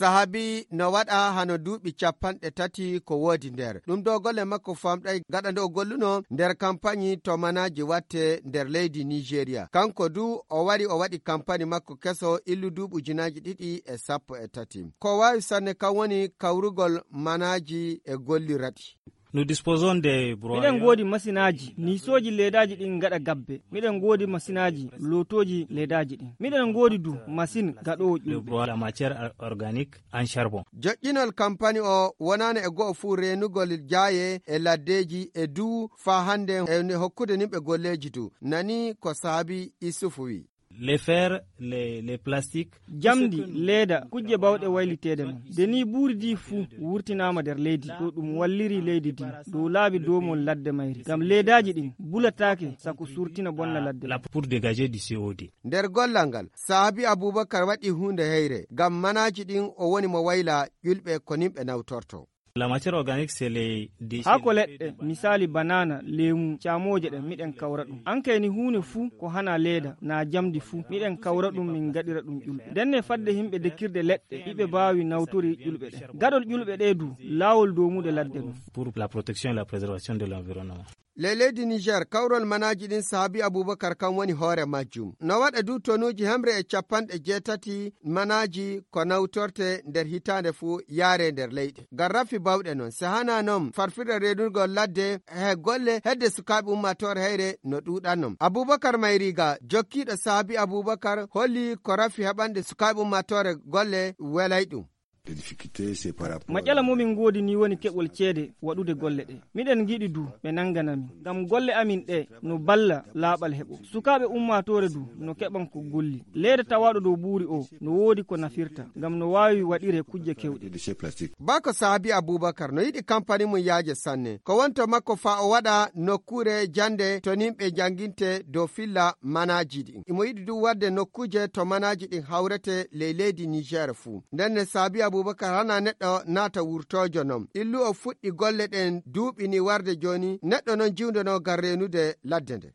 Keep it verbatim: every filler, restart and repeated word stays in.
Sahabi no waɗa hano duuɓi capanɗe tati ko woodi nder ɗum. Ɗo golle makko famɗay gaɗa nde o golluno nder kampani to manaaji watte nder leydi Nigeria. Kanko du o wari o waɗi kampani makko keso illu duuɓi ujunaaji ɗiɗi e sappo e tati. Ko waawi sanne kan woni kawrugol manaaji e golliraɗi. Nous disposons des broyeurs. Miɗen ngoodi masinaaji, niisooji leedaaji ɗin ngaɗa gabbe. Miɗen ngoodi masinaaji, lootooji leedaaji ɗin. Miɗen ngoodi du masin gaɗoowo le ƴulɓe. Broyeur, la matière or-, organique en charbon. Joƴƴinol kampani o wonaano e go'o fuu reenugol jaaye e laddeeji e du faa hannde e hokkude nimɓe golleeji du. Nani ko saabi Isufu wi. Les fers, les, les plastiques. Jamndi, leeda, kujje bawɗe wayliteede non. De ni buuri di fuu wurtinaama nder leydi. Ɗo ɗum walliri leydi di. Dow laabi doomol ladde mayri. Ngam leedaaji ɗin bulataake sako surtina bonna ladde. La pour dégager du C O deux. Nder gollal ngal, Sahabi Abubakar waɗi huunde heyre. Ngam manaaji ɗin o woni mo wayla ƴulɓe ko nimɓe nawtorto. La matière organique, c'est les déchets. Haako leɗɗe, misaali banana, leemu, caamooje ɗen, miɗen kawra ɗum. An kay ni huunde fuu ko hana leeda, naa jamdi fuu, miɗen kawra ɗum, min ngaɗira ɗum ƴulɓe. Ndenne fadde himɓe dekirde leɗɗe, iɓe baawi nawtori ƴulɓe ɗen. Gaɗol ƴulɓe ɗe du, laawol doomude ladde ɗum. Pour la protection et la préservation de l'environnement. Ley leydi Niger, kawrol manaaji ɗin Sahabi Abubakar kan woni hoore majjum. No waɗa du tonuuji hemre e capanɗe jeetati manaaji ko nawtorte nder hitaande fuu yaare nder leyɗe. Ngam rafi bawɗe non, sehana non farfirde reenugol ladde he golle hedde sukaaɓe ummaatoore heyre no ɗuuɗan non. Abubakar Mayriga, jokkiiɗo Sahabi Abubakar, holli ko rafi heɓande sukaaɓe ummaatoore golle welay ɗum. Maƴala mo min ngoodi ni woni keɓol ceede waɗude golle ɗe. Miɗen ngiɗi du ɓe nangana min. Ngam golle amin ɗe no balla laaɓal heɓo. Sukaaɓe ummaatoore du no keɓan ko golli. Leeda tawaaɗo dow buuri o no woodi ko nafirta. Ngam no waawi waɗire kujje kewɗe. Bako Sahabi Abubakar no yiɗi kampani mum yaaje sanne. Ko wonto makko faa o waɗa nokkuure jannde to nimɓe jannginte dow filla manaaji ɗin. Imo yiɗi du waɗde nokkuuje to manaaji ɗin hawrete ley leydi Niger fuu. Nden ne Sahabi Abubakar hana neɗɗo naata wurtoojo non. Illu o fuɗɗi golle ɗen duuɓi ni warde jooni neɗɗo non jiwndono ngam reenude ladde nde.